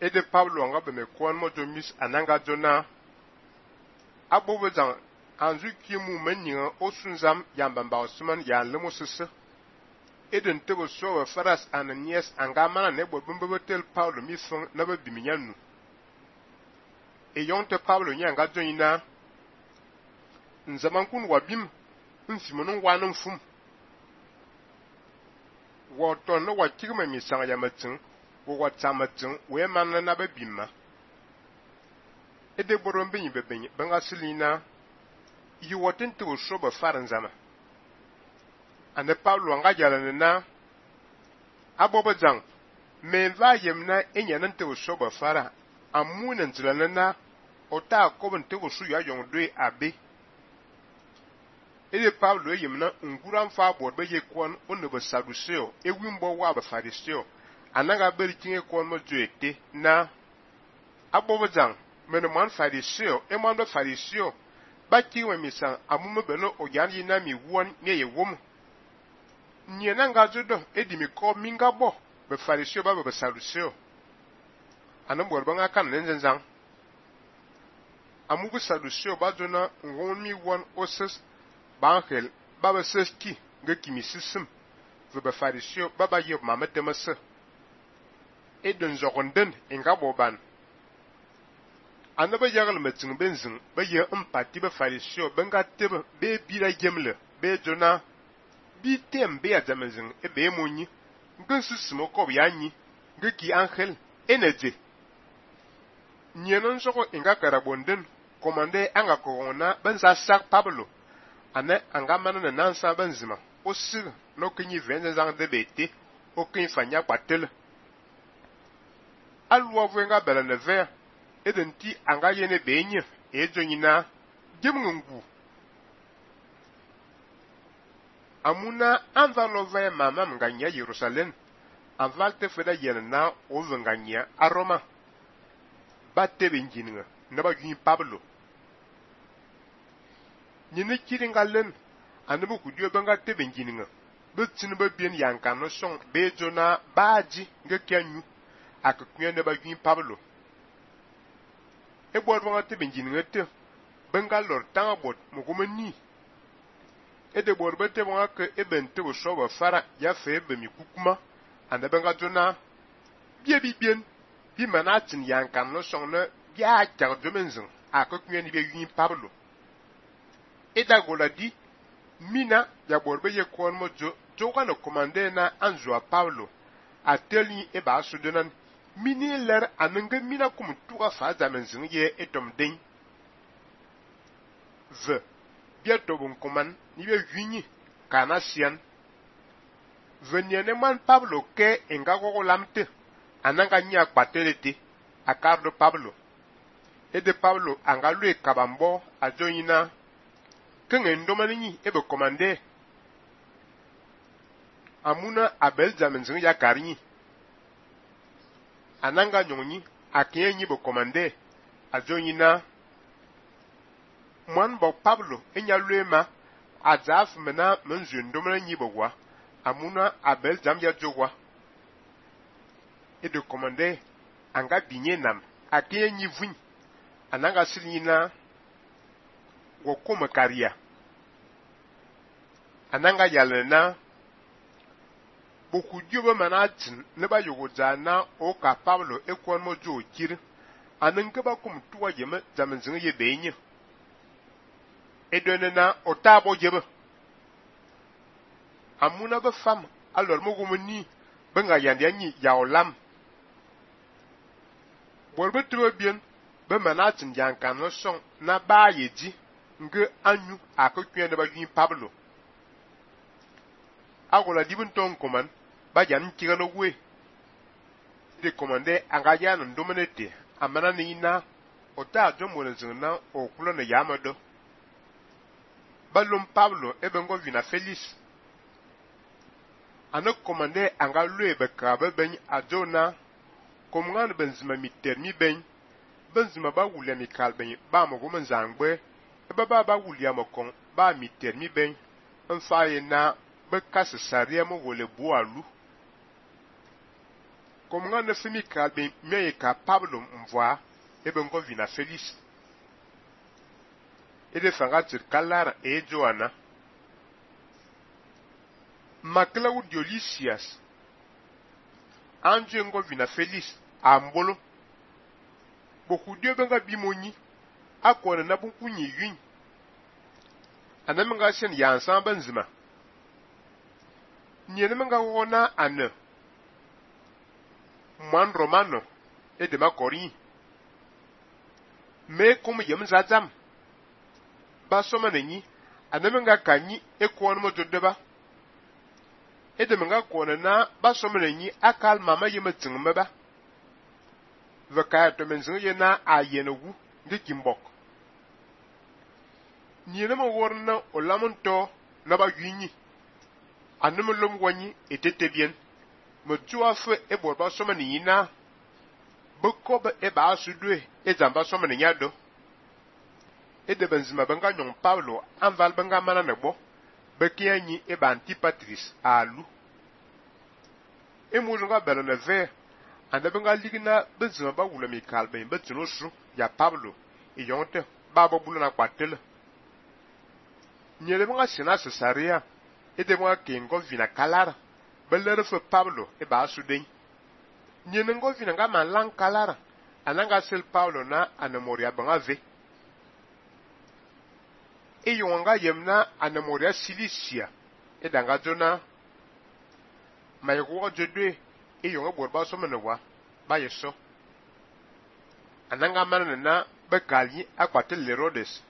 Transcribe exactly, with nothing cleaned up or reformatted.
et de Pablo anga be me kwon mo jo mis ananga jona abobo jang anzu ki mu menyin o sunzam yamba ba osman ya lemo sese eden tebo so faras ananias anga mana ne bo bumbo tel Pablo mi fon na be biminyanu e yonte Pablo nyanga joina nzaman kun wabim nsimonun wanun fum wo ton no wa kigme mi sang ya matin wo wa tamatin we man na be bimma ede boron bin be bin banga silina yi wotin to so ba faran zama ane Pablo anga jalana na abobo jang me va yemna enya nan to so ba fara amunan tilana na ota ko ban to so ya yon do abe ede Pablo yemna nguran fa bod be ye kwon onu be saduseo ewimbo wa ba fariseo ananga beri tinge kwon mo joete na abobo jang meno man fariseo e man be fariseo ba kiwe misan amume beno oyan yina mi won ne ye wom nye nanga jodo edi mi ko minga bo be fariseo ba be saduseo anan bor banga kan nenzang amu be saduseo ba jona ngon mi won oses bankel baba seski nga kimi sisem ve be fariseo baba ye mamete mase edon zogonden enga boban anaba yagal metin benzin ba ye empati be fariseo benga tebe be bira gemle be jona bi tem be azamezin e be monyi ngan sisimo ko yanyi nga ki angel energy nyenon soko enga karabonden komande anga ko na benza sak Pablo ane anga manana nansa benzima osir no kinyi venza zang de bete o kin fanya patel alwo venga bela ne ver edenti anga yene benye e jonyina gemngu amuna anvalo ve mama nganya Jerusalem anvalte feda yena o venganya a Roma batte benjinga na ba yin Pablo nyine kiringalen anabu kudio banga te benjinga betin ba bien yankan no son bejona baji nga kyanyu akaknya ne ba yin Pablo e bod banga te benjinga te banga lor tanga bot mugumani e de bod bete banga ke ebente bo soba fara ya fe be mi kukuma anda banga jona bie bi bien bi manatin yankan no son ne ya jar domenzin akaknya ni be yin Pablo eda goladi mina ya borbe ye kwon mojo joka no komande na anzua Paulo ateli e ba sudenan mini ler anenge mina kum tuga fa zamenzin ye etom den v bieto bon koman ni be yinyi kana sian veniene man Pablo ke enga gogo lamte ananga nya kwatelete akardo Pablo ede Pablo anga lue kabambo ajoyina kenge ndomani ebe komande amuna abel zamenzin ya karinyi ananga nyonyi akenyi bo komande azonyina mwan bo Pablo enya luema azaf mena menzu ndomani bogwa amuna abel zam ya jogwa ede komande anga binye nam akenyi vun ananga silina wokoma karia ananga yalena boku dioba manatin ne ba yogoza na o ka Pablo ekwon mojo kir ananga ba kum tuwa yeme zamenzin ye benye edonena otabo jebe amuna ba fam alor mogumni benga yandi anyi ya olam borbe tuwa bien be manatin yankan no son na ba yeji nge anyu akokwen de ba yin Pablo agola dibun ton koman ba jan kigano we de komande anga jan ndomenete amana ni na ota jomo na o kulo na yamado balum Pablo ebengo vina Felix ana komande anga lue be krabe ben adona komngan benzima mitermi ben benzima ba wulia mi kalben ba mo go zangbe eba ba ba wulia mo kon ba mitermi ben mfaye na be kase saria mo wole bualu Comme nga ne fimi ka ben me ka Pablo mvoa e ben ko vina Félix. E de fanga tir kalara e Joana. Makla u Diolisias. Anje ngo vina Félix ambolo. Boku dio benga bimoni akona na bunkunyi yun. Anamenga sen yansan benzima. Nyenemenga wona ane. Mwan Romano e de ma kori. Me comme yem zazam. Ba soma nenyi anamenga kanyi e kwon mo jodeba. E de menga kwon na ba soma nenyi akal mama yem tingme ba. Vekaya to menzin ye na ayenewu nge kimbok. Nyenema worna olamonto na ba yunyi. Aneme lom wanyi etete bien. Me tua fe e borba soma ni na. Bekobe e ba asudwe e zamba soma ni nyado. E de benzima benga nyon Pablo anval benga mana nebo. Bekianyi e ba Antipatris alu. E moujonga bela ne ver. Ande benga ligina benzima ba wula mi kalben betino su ya Pablo e yonte baba bulu na kwatele. Nyele benga sina Cesarea e de benga kengo vina kalara belere fe Pablo e ba suden. Nyene ngo vina nga man lang kalara ananga sel Pablo na anemoria benga ve. E yonga yemna anemoria Cilicia e danga jona mayego jodwe e yonga borba so menewa ba yeso ananga manana na bekali akwatel Herodes